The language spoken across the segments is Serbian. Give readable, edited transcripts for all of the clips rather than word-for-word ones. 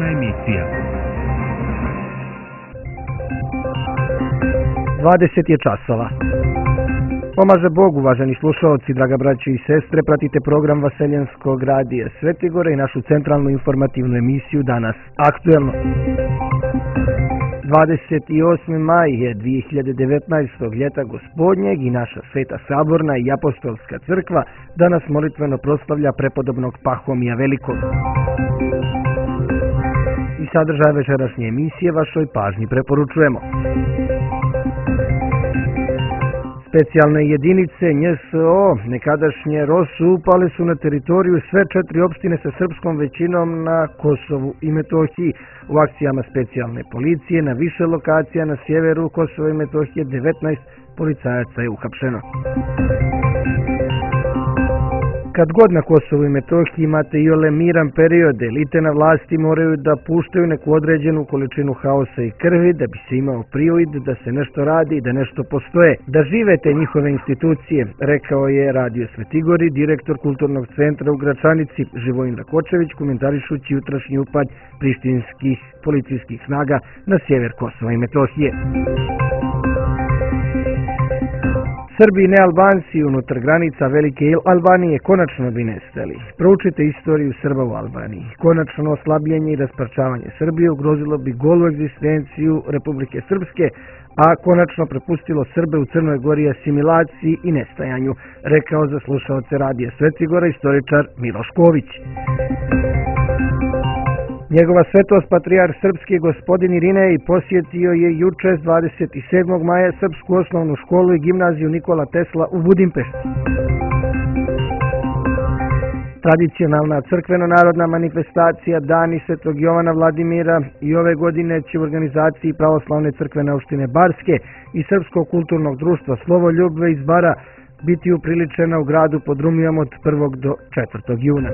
informativna emisija. 20 je časova. Pomaže Bog, uvaženi slušalci, draga braće i sestre, pratite program Vaseljenskog radija Svetigore i našu centralnu informativnu emisiju Danas aktuelno. 28. maj je 2019. ljeta gospodnjeg i naša Sveta Saborna i Apostolska crkva danas molitveno proslavlja prepodobnog Pahomija Velikog. I sadržaj večerašnje emisije vašoj pažnji preporučujemo. Specijalne jedinice NJSO, nekadašnje ROSU, upale su na teritoriju sve 4 opštine sa srpskom većinom na Kosovu i Metohiji. U akcijama specijalne policije na više lokacija na sjeveru Kosova i Metohije 19 policajaca je uhapšeno. Kad god na Kosovu i Metohiji imate iole miran period, elite na vlasti moraju da puštaju neku određenu količinu haosa i krvi da bi se imao privid da se nešto radi i da nešto postoje. Da žive te njihove institucije, rekao je Radio Svetigori, direktor Kulturnog centra u Gračanici Živojin Rakočević, komentarišući jutrašnji upad prištinskih policijskih snaga na sjever Kosova i Metohije. Srbi i nealbanci unutar granica Velike Albanije konačno bi nestali. Proučite istoriju Srba u Albaniji. Konačno oslabljenje i rasparčavanje Srbije ugrozilo bi golu egzistenciju Republike Srpske, a konačno prepustilo Srbe u Crnoj Gori asimilaciji i nestajanju, rekao za slušaoce Radija Svetigora istoričar Miloš Ković. Njegova svetost patrijarh srpski gospodin Irinej posjetio je juče 27. maja Srpsku osnovnu školu i gimnaziju Nikola Tesla u Budimpešti. Tradicionalna crkveno-narodna manifestacija Dani Svetog Jovana Vladimira i ove godine će u organizaciji Pravoslavne crkvene opštine Barske i Srpskog kulturnog društva Slovoljubve iz Bara biti upriličena u gradu pod Rumijom od 1. do 4. juna.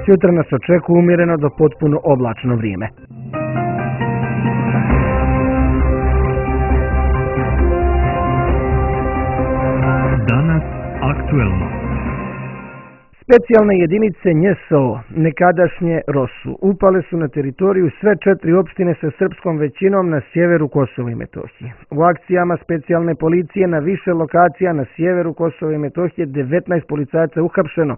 Sutra nas očekuje umjereno do potpuno oblačno vrijeme. Danas aktuelno. Specijalne jedinice NJSO, nekadašnje ROSU, upale su na teritoriju sve 4 opštine sa srpskom većinom na sjeveru Kosova i Metohije. U akcijama specijalne policije na više lokacija na sjeveru Kosova i Metohije 19 policajaca uhapšeno.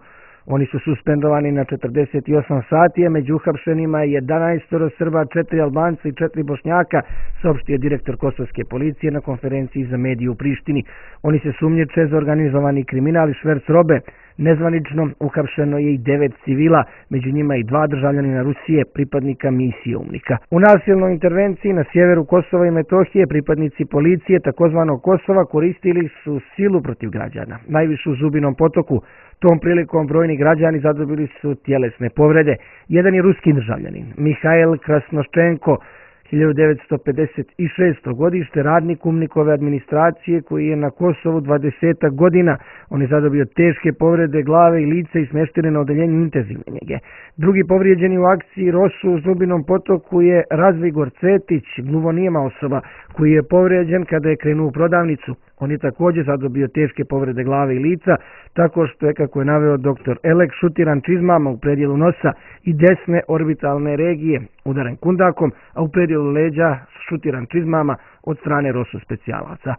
Oni su suspendovani na 48 sati, a među uhapšenima je 11 Srba, 4 Albanca i 4 Bošnjaka, saopštio direktor Kosovske policije na konferenciji za medije u Prištini. Oni se sumnjiče za organizovani kriminal i šverc robe. Nezvanično uhapšeno je i 9 civila, među njima i 2 državljanina Rusije, pripadnika misije UNMIK-a. U nasilnoj intervenciji na sjeveru Kosova i Metohije pripadnici policije takozvanog Kosova koristili su silu protiv građana, najviše u Zubinom Potoku. Tom prilikom brojni građani zadobili su tjelesne povrede. Jedan je ruski državljanin, Mihajl Krasnoščenko, 1956. godište, radnik UNMIK-ove administracije koji je na Kosovu 20 godina. On je zadobio teške povrede glave i lica i smješten na odeljenju intenzivne njege. Drugi povrijeđeni u akciji ROSU u Zubinom Potoku je Razvigor Cetić, gluvonijema osoba koji je povrijeđen kada je krenuo u prodavnicu. On je također zadobio teške povrede glave i lica, tako što je, kako je naveo dr. Elek, šutiran čizmama u predjelu nosa i desne orbitalne regije, udaren kundakom, a u predjelu leđa šutiran čizmama od strane ROSU specijalaca.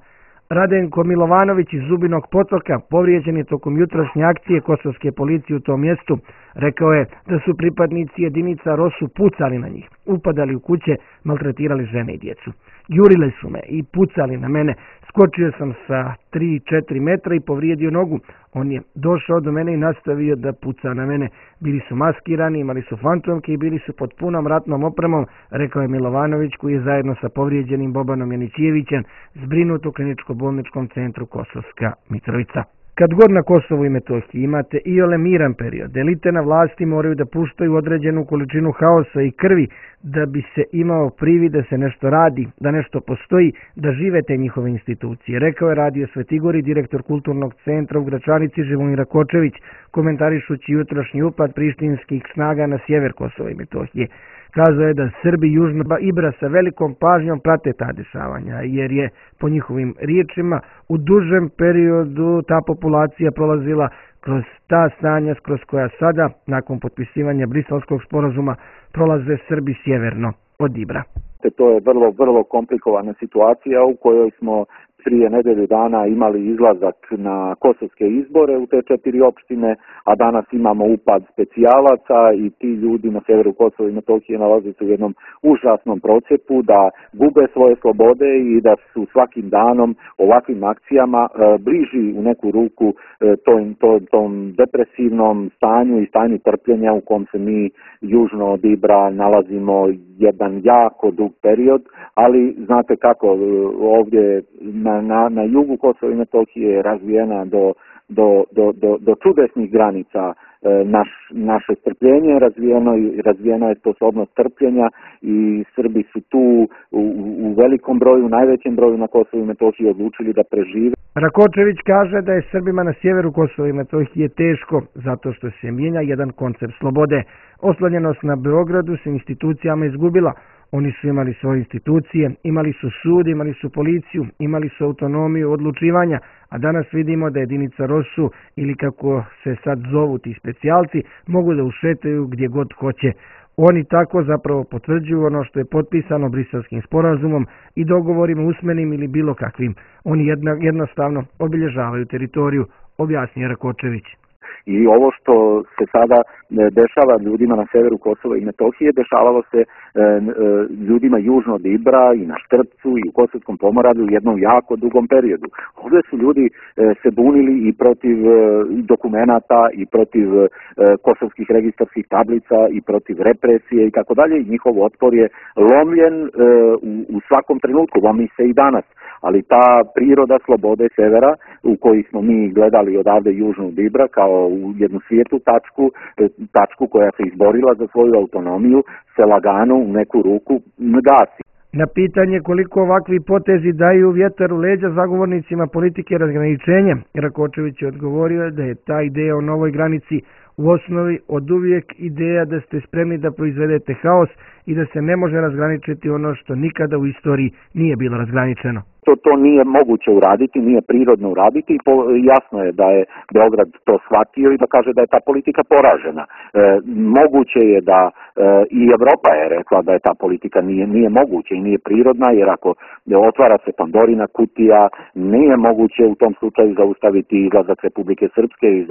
Radenko Milovanović iz Zubinog Potoka povrijeđen je tokom jutrašnje akcije kosovske policije u tom mjestu. Rekao je da su pripadnici jedinica ROSU pucali na njih, upadali u kuće, maltretirali žene i djecu. Jurile su me i pucali na mene. Skočio sam sa 3-4 metra i povrijedio nogu. On je došao do mene i nastavio da puca na mene. Bili su maskirani, imali su fantomke i bili su pod punom ratnom opremom, rekao je Milovanović, koji je zajedno sa povrijeđenim Bobanom Janićijevićem zbrinut u kliničko-bolničkom centru Kosovska Mitrovica. Kad god na Kosovu i Metohiji imate iole miran period, elite na vlasti moraju da puštaju određenu količinu haosa i krvi da bi se imao privid da se nešto radi, da nešto postoji, da žive te njihove institucije, rekao je Radio Svetigori, direktor Kulturnog centra u Gračanici Živojin Rakočević, komentarišući jutrašnji upad prištinskih snaga na sjever Kosova i Metohije. Kazao je da Srbi južno Ibra sa velikom pažnjom prate ta dešavanja, jer je, po njihovim riječima, u dužem periodu ta populacija prolazila kroz ta stanja kroz koja sada, nakon potpisivanja Briselskog sporazuma, prolaze Srbi sjeverno od Ibra. To je vrlo komplikovana situacija u kojoj smo prije nedelju dana imali izlazak na kosovske izbore u te 4 opštine, a danas imamo upad specijalaca i ti ljudi na severu Kosova i Metohije nalaze se u jednom užasnom procepu da gube svoje slobode i da su svakim danom ovakvim akcijama bliži u neku ruku tom depresivnom stanju i stanju trpljenja u kom se mi južno od Ibra nalazimo jedan jako dug period, ali znate kako, ovdje na jugu Kosova i Metohije je razvijena do čudesnih granica naše strpljenje, razvijena je sposobnost trpljenja i Srbi su tu u velikom broju, najvećem broju na Kosovu i Metohiji odlučili da prežive. Rakočević kaže da je Srbima na sjeveru Kosova i Metohije teško zato što se mijenja jedan koncept slobode. Oslonjenost na Beogradu se institucijama izgubila. Oni su imali svoje institucije, imali su sud, imali su policiju, imali su autonomiju odlučivanja, a danas vidimo da jedinica ROSU ili kako se sad zovu ti specijalci mogu da ušetaju gdje god hoće. Oni tako zapravo potvrđuju ono što je potpisano Briselskim sporazumom i dogovorima usmenim ili bilo kakvim. Oni jednostavno obilježavaju teritoriju, objasnio Rakočević. I ovo što se sada dešava ljudima na severu Kosova i Metohije, dešavalo se ljudima južno od Ibra i na Štrpcu i u Kosovskom Pomoravlju u jednom jako dugom periodu. Ovdje su ljudi se bunili i protiv dokumenata i protiv kosovskih registarskih tablica i protiv represije i tako dalje. Njihov otpor je lomljen u svakom trenutku, lomi se i danas. Ali ta priroda slobode severa u koji smo mi gledali odavde južno od Ibra kao u jednu svijetlu tačku koja se izborila za svoju autonomiju, se lagano u neku ruku gasi. Na pitanje koliko ovakvi potezi daju vjetar u leđa zagovornicima politike razgraničenja, Rakočević je odgovorio da je ta ideja o novoj granici u osnovi od uvijek ideja da ste spremni da proizvedete haos i da se ne može razgraničiti ono što nikada u istoriji nije bilo razgraničeno. To nije moguće uraditi, nije prirodno uraditi i jasno je da je Beograd to shvatio i da kaže da je ta politika poražena. Moguće je da i Evropa je rekla da je ta politika nije moguće i nije prirodna, jer ako otvara se Pandorina kutija, nije moguće u tom slučaju zaustaviti izlazak Republike Srpske iz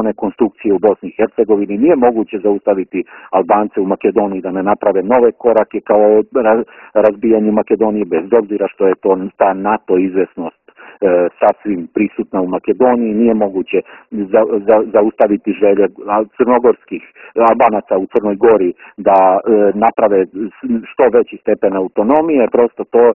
one konstrukcije u Bosni i Hercegovini, nije moguće zaustaviti Albance u Makedoniji da ne naprave nove korake kao razbijanje Makedonije, bez obzira što je to ta NATO izvesnost sasvim prisutna u Makedoniji, nije moguće zaustaviti želje crnogorskih Albanaca u Crnoj Gori da naprave što veći stepen autonomije, prosto to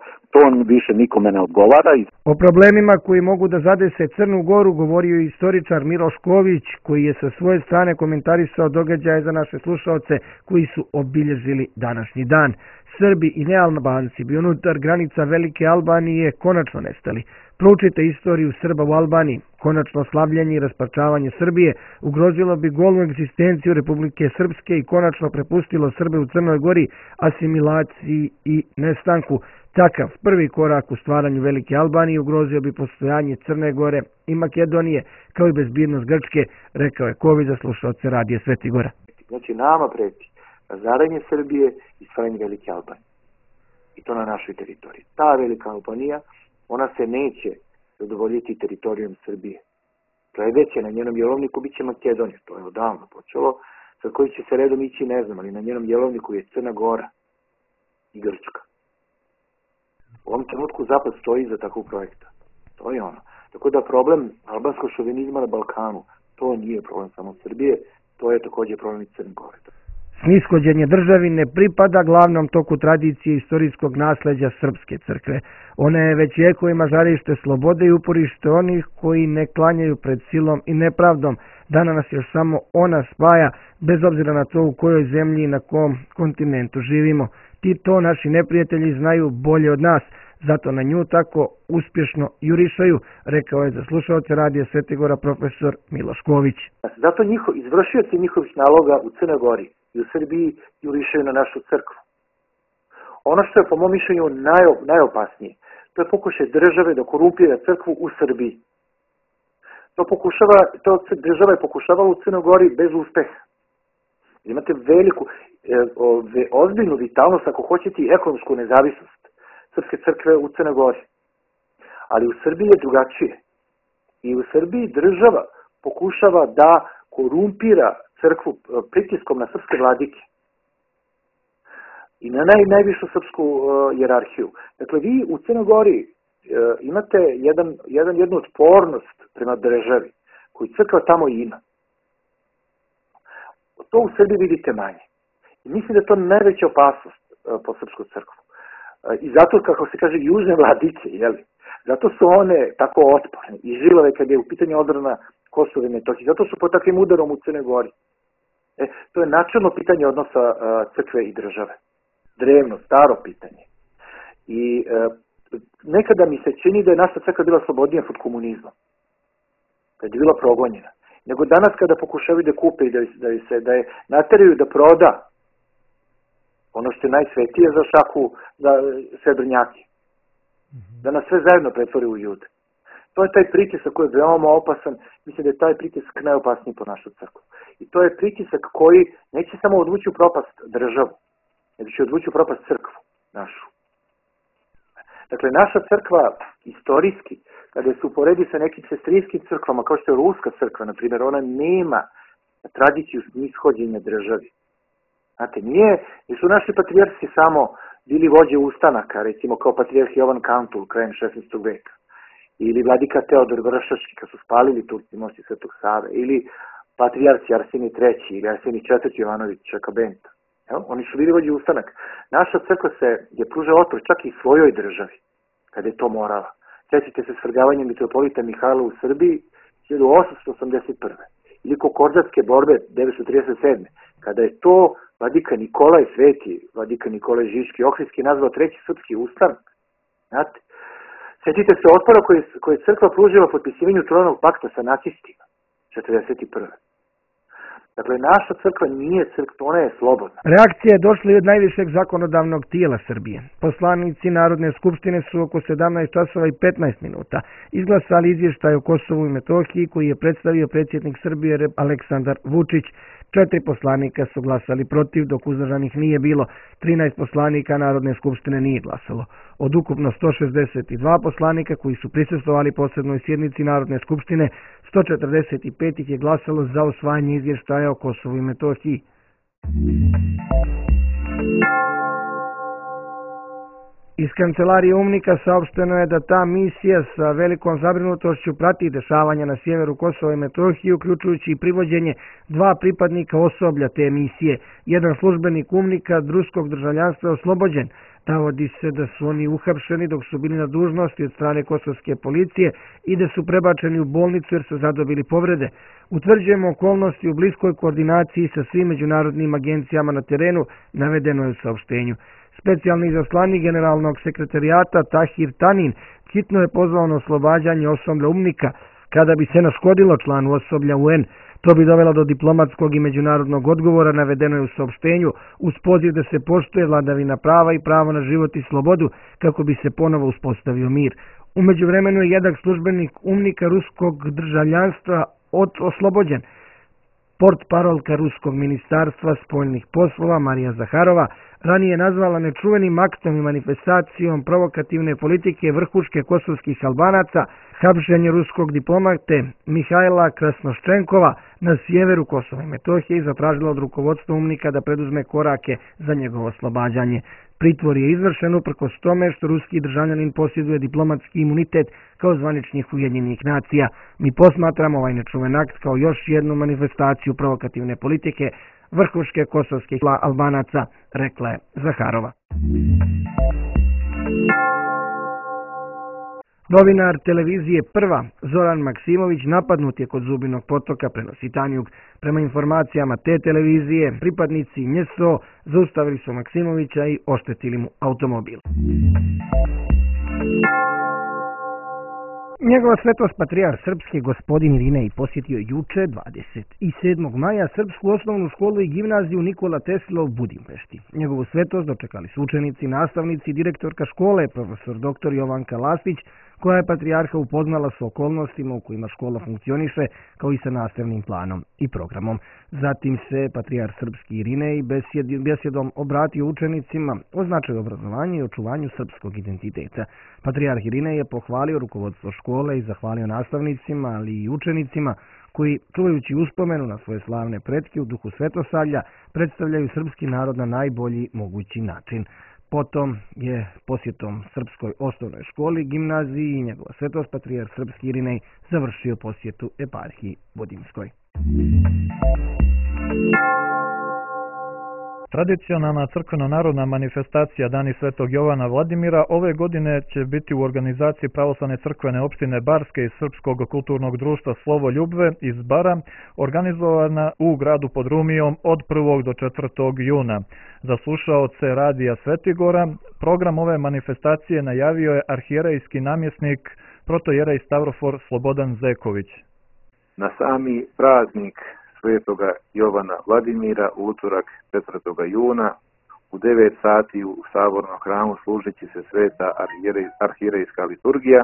više nikome ne odgovara. O problemima koji mogu da zadese Crnu Goru govorio je istoričar Miloš Ković, koji je sa svoje strane komentarisao događaje za naše slušaoce koji su obilježili današnji dan. Srbi i nealbanci bi unutar granica Velike Albanije konačno nestali. Proučite istoriju Srba u Albaniji. Konačno slavljenje i rasparčavanje Srbije ugrozilo bi golnu egzistenciju Republike Srpske i konačno prepustilo Srbe u Crnoj Gori asimilaciji i nestanku. Takav prvi korak u stvaranju Velike Albanije ugrozio bi postojanje Crne Gore i Makedonije, kao i bezbjednost Grčke, rekao je Ković za slušaoce Radija Sveti Gora. Znači nama preti razaranje Srbije i stvaranje Velike Albanije. I to na našoj teritoriji. Ta Velika Albanija, ona se neće zadovoljiti teritorijom Srbije. Sledeće na njenom jelovniku bit će Makedonija. To je odavno počelo. Sa koji će se redom ići ne znam, ali na njenom jelovniku je Crna Gora i Grčka. U ovom trenutku Zapad stoji za takvog projekta. To je ono. Tako da problem albanskog šovinizma na Balkanu, to nije problem samo Srbije, to je također problem i Crne Gore. Snishođenje državi ne pripada glavnom toku tradicije istorijskog nasleđa Srpske crkve. Ona je već vjekovima žarište slobode i uporište onih koji ne klanjaju pred silom i nepravdom. Danas nas još samo ona spaja, bez obzira na to u kojoj zemlji i na kom kontinentu živimo. To naši neprijatelji znaju bolje od nas, zato na nju tako uspješno jurišaju, rekao je za slušaoce Radija Sveti Gora profesor Miloš Ković. Zato izvršioci njihovih naloga u Crnoj Gori i u Srbiji jurišaju na našu crkvu. Ono što je po mom mišljenju najopasnije, to je pokušaj države da korumpira crkvu u Srbiji. To država je pokušavala u Crnoj Gori bez uspeha. Imate veliku, ozbiljnu vitalnost, ako hoćete i ekonomsku nezavisnost Srpske crkve u Crnoj Gori. Ali u Srbiji je drugačije. I u Srbiji država pokušava da korumpira crkvu pritiskom na srpske vladike i na najvišu srpsku jerarhiju. Dakle, vi u Crnoj Gori imate jednu otpornost prema državi koju crkva tamo ima. To u Srbiji vidite manje. I mislim da je to najveća opasnost po srpsku crkvu. I zato, kako se kaže, južne vladike, jeli? Zato su one tako otporne i žilave kad je u pitanju odbrana Kosova i Metohije. Zato su pod takvim udarom u Crnoj Gori. To je načelno pitanje odnosa crkve i države. Drevno, staro pitanje. I nekada mi se čini da je naša crkva bila slobodnija pod komunizmom. Kad je bila progonjena. Nego danas kada pokušavaju da kupe i da je nateraju da proda ono što je najsvetije za šaku, za srebrnjake. Da nas sve zajedno pretvori u ljude. To je taj pritisak koji je veoma opasan. Mislim da je taj pritisak najopasniji po našu crkvu. I to je pritisak koji neće samo odvući u propast državu, nego će odvući u propast crkvu našu. Dakle, naša crkva istorijski, kada se uporedi sa nekim sestrinskim crkvama, kao što je Ruska crkva, na primjer, ona nema tradiciju nishođenja državi. Znate, nisu naši patrijarsi samo bili vođe ustanaka, recimo kao patrijarh Jovan Kantul krajem 16. veka, ili vladika Teodor Vršački kad su spalili Turci mosti Svetog Save, ili patrijarci Arsenij III ili Arsenij IV Jovanović Čakabenta. Oni su bili vođe ustanaka. Naša crkva je pružala otpor čak i svojoj državi, kada je to morala. Sjetite se svrgavanja mitropolita Mihajla u Srbiji 1881. Ili Kokordatske borbe 1937. Kada je to vladika Nikolaj Sveti, vladika Nikolaj Žiški Ohridski nazvao treći srpski ustanak. Znate, sjetite se otpora koji je crkva pružila potpisivanju Trojnog pakta sa nacistima 1941. Dakle, naša crkva nije crkva, ona je slobodna. Reakcija je došla i od najvišeg zakonodavnog tijela Srbije. Poslanici Narodne skupštine su oko 17 časova i 15 minuta izglasali izvještaj o Kosovu i Metohiji koji je predstavio predsjednik Srbije Aleksandar Vučić. 4 poslanika su glasali protiv, dok uzdržanih nije bilo. 13 poslanika Narodne skupštine nije glasalo. Od ukupno 162 poslanika koji su prisustvovali posebnoj sjednici Narodne skupštine, 145 ih je glasalo za usvajanje izvještaja o Kosovu i Metohiji. Iz kancelarije UNMIK-a saopšteno je da ta misija sa velikom zabrinutošću prati dešavanja na sjeveru Kosova i Metohije, uključujući i privođenje 2 pripadnika osoblja te misije. Jedan službenik UNMIK-a ruskog državljanstva je oslobođen. Navodi se da su oni uhapšeni dok su bili na dužnosti od strane kosovske policije i da su prebačeni u bolnicu jer su zadobili povrede. Utvrđujemo okolnosti u bliskoj koordinaciji sa svim međunarodnim agencijama na terenu, navedeno je u saopštenju. Specijalni izaslanik generalnog sekretarijata Tahir Tanin hitno je pozvao na oslobađanje osoblja UNMIK-a kada bi se naškodilo članu osoblja UN. To bi dovelo do diplomatskog i međunarodnog odgovora, navedeno je u saopštenju, uz poziv da se poštuje vladavina prava i pravo na život i slobodu kako bi se ponovo uspostavio mir. U međuvremenu je jedan službenik UNMIK-a ruskog državljanstva oslobođen. Portparolka ruskog ministarstva spoljnih poslova Marija Zaharova ranije nazvala nečuvenim aktom i manifestacijom provokativne politike vrhuške kosovskih Albanaca hapšenje ruskog diplomate Mihajla Krasnoščenkova na sjeveru Kosova i Metohije i zatražila od rukovodstva UNMIK-a da preduzme korake za njegovo oslobađanje. Pritvor je izvršen uprkos tome što ruski državljanin posjeduje diplomatski imunitet kao zvaničnih Ujedinjenih nacija. Mi posmatramo ovaj nečuven akt kao još jednu manifestaciju provokativne politike vrhuške kosovskih Albanaca, rekla je Zaharova. Novinar televizije Prva, Zoran Maksimović, napadnut je kod Zubinog potoka, prenosi Tanjug. Prema informacijama te televizije, pripadnici NJSO zaustavili su Maksimovića i oštetili mu automobil. Njegova svetost patrijarh srpski gospodin Irinej posjetio juče 27. maja srpsku osnovnu školu i gimnaziju Nikola Tesla u Budimpešti. Njegovu svetost dočekali su učenici, nastavnici, direktorka škole, profesor dr. Jovanka Lastić, koja je patrijarha upoznala s okolnostima u kojima škola funkcioniše, kao i sa nastavnim planom i programom. Zatim se patrijarh srpski Irinej besjedom obratio učenicima o značaju obrazovanja i očuvanju srpskog identiteta. Patrijarh Irinej je pohvalio rukovodstvo škole i zahvalio nastavnicima, ali i učenicima koji, čuvajući uspomenu na svoje slavne pretke u duhu svetosavlja, predstavljaju srpski narod na najbolji mogući način. Potom je posjetom srpskoj osnovnoj školi, gimnaziji i njegova svetost patrijarh srpski Irinej završio posjetu eparhiji Budimskoj. Tradicionalna crkveno-narodna manifestacija Dani Svetog Jovana Vladimira ove godine će biti u organizaciji Pravoslavne crkvene opštine Barske i Srpskog kulturnog društva Slovo Ljubve iz Bara, organizovana u gradu pod Rumijom od 1. do 4. juna. Za slušaoce Radija Svetigora, program ove manifestacije najavio je arhijerejski namjesnik protojerej Stavrofor Slobodan Zeković. Na sami praznik Svetoga Jovana Vladimira u utorak 4. juna u 9 sati u Sabornom hramu služit će se sveta arhijerejska liturgija,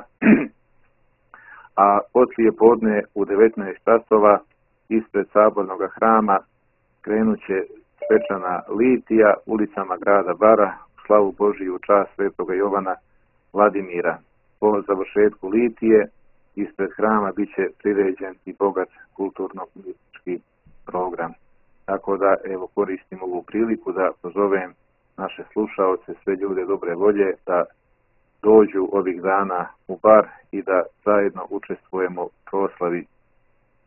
a poslije podne u 19 časova ispred Sabornog hrama krenut će svečana litija ulicama grada Bara u slavu Božiju čast Svetoga Jovana Vladimira. Po završetku litije ispred hrama bit će priređen i bogat kulturno-politički program. Tako da evo koristim ovu priliku da pozovem naše slušaoce, sve ljude dobre volje da dođu ovih dana u Bar i da zajedno učestvujemo u proslavi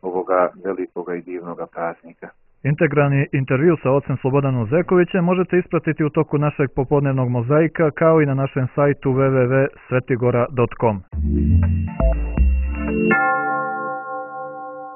ovoga velikoga i divnoga praznika. Integralni intervju sa ocem Slobodanom Zekovićem možete ispratiti u toku našeg popodnevnog mozaika kao i na našem sajtu www.svetigora.com.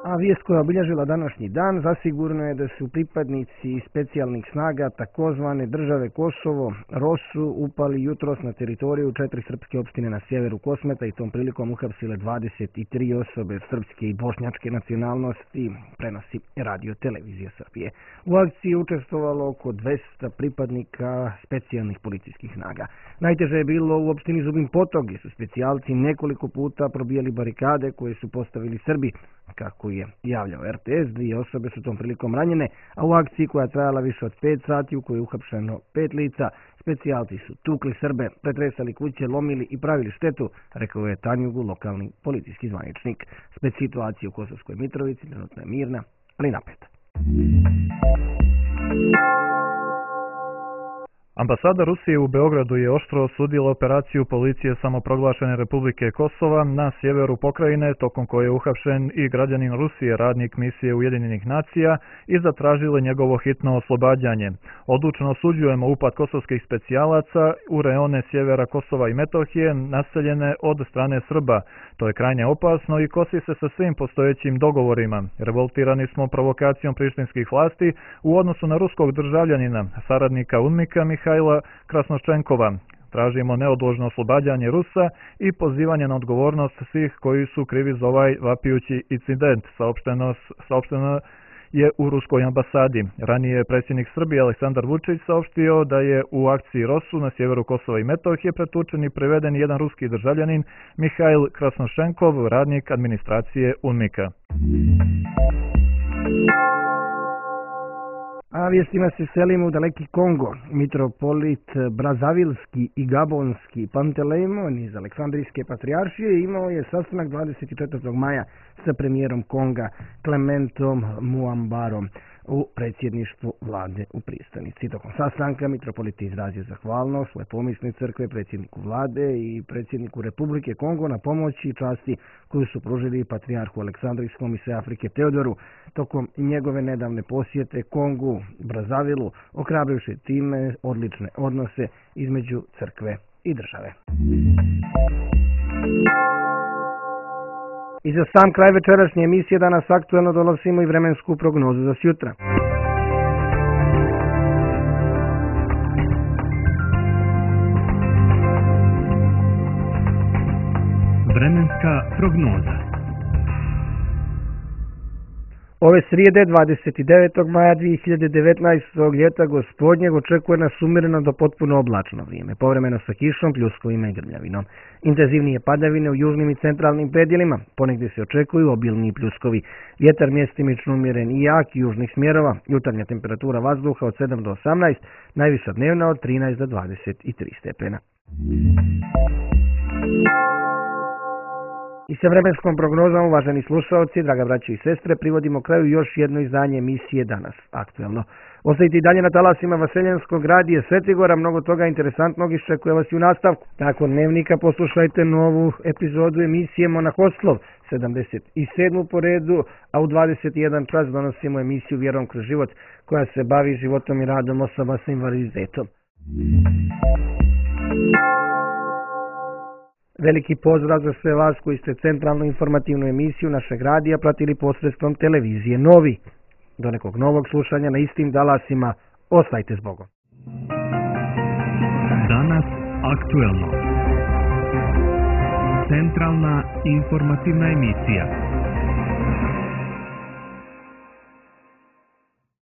A vijest koja je obilježila današnji dan zasigurno je da su pripadnici specijalnih snaga takozvane države Kosovo, ROSU, upali jutros na teritoriju 4 srpske opštine na sjeveru Kosmeta i tom prilikom uhapsile 23 osobe srpske i bošnjačke nacionalnosti, prenosi Radio Televizija Srbije. U akciji je učestvovalo oko 200 pripadnika specijalnih policijskih snaga. Najteže je bilo u opštini Zubin Potok, gdje su specijalci nekoliko puta probijali barikade koje su postavili Srbi. Kako je javljao RTS, 2 osobe su tom prilikom ranjene, a u akciji koja je trajala više od 5 sati u kojoj je uhapšeno 5 lica, specijalci su tukli Srbe, pretresali kuće, lomili i pravili štetu, rekao je Tanjugu, lokalni policijski zvaničnik. Situacija u Kosovskoj Mitrovici trenutno je mirna, ali napeta. Ambasada Rusije u Beogradu je oštro osudila operaciju policije samoproglašene Republike Kosova na sjeveru pokrajine, tokom koje je uhapšen i građanin Rusije, radnik misije Ujedinjenih nacija, i zatražile njegovo hitno oslobađanje. Odlučno osuđujemo upad kosovskih specijalaca u reone sjevera Kosova i Metohije, naseljene od strane Srba. To je krajnje opasno i kosi se sa svim postojećim dogovorima. Revoltirani smo provokacijom prištinskih vlasti u odnosu na ruskog državljanina, saradnika UNMIK-a Mihajla Krasnoščenkova. Tražimo neodložno oslobađanje Rusa i pozivanje na odgovornost svih koji su krivi za ovaj vapijući incident, saopšteno je u ruskoj ambasadi. Ranije je predsjednik Srbije Aleksandar Vučić saopštio da je u akciji ROSU na sjeveru Kosova i Metohije pretučen i priveden jedan ruski državljanin Mihajl Krasnoščenkov, radnik administracije UNMIK-a. A vijestima se selimo u daleki Kongo. Mitropolit Brazavilski i Gabonski Pantelejmon iz Aleksandrijske patrijaršije imao je sastanak 24. maja sa premijerom Konga Clementom Muambarom u predsjedništvu vlade u Pristanici. Tokom sastanka mitropolit izrazio zahvalnost svoje pomisne crkve, predsjedniku vlade i predsjedniku Republike Kongo na pomoći i časti koju su pružili patrijarhu Aleksandrijskom i sve Afrike Teodoru tokom njegove nedavne posjete Kongu, Brazavilu, ohrabrivši time odlične odnose između crkve i države. I za sam kraj večerašnje emisije danas aktuelno donosimo i vremensku prognozu za sjutra. Vremenska prognoza. Ove srijede 29. maja 2019. ljeta gospodnjeg očekuje nas umjereno do potpuno oblačno vrijeme, povremeno sa kišom, pljuskovima i grmljavinom. Intenzivnije padavine u južnim i centralnim predjelima, ponegdje se očekuju obilni pljuskovi. Vjetar mjestimično umjeren i jak južnih smjerova, jutarnja temperatura vazduha od 7 do 18, najviša dnevna od 13 do 23 stepena. I sa vremenskom prognozom, uvaženi slušalci, draga braće i sestre, privodimo kraju još jedno izdanje emisije Danas aktuelno. Ostajte i dalje na talasima Vaseljanskog radija Svetigora, mnogo toga interesantnog iščekuje vas i u nastavku. Nakon dnevnika poslušajte novu epizodu emisije Monahoslov, 77. po redu, a u 21 čas donosimo emisiju Vjerom kroz život, koja se bavi životom i radom osoba sa invaliditetom. Veliki pozdrav za sve vas koji ste centralnu informativnu emisiju našeg radija pratili posredstvom televizije Novi. Do nekog novog slušanja na istim talasima, ostajte s Bogom. Danas aktuelno. Centralna informativna emisija.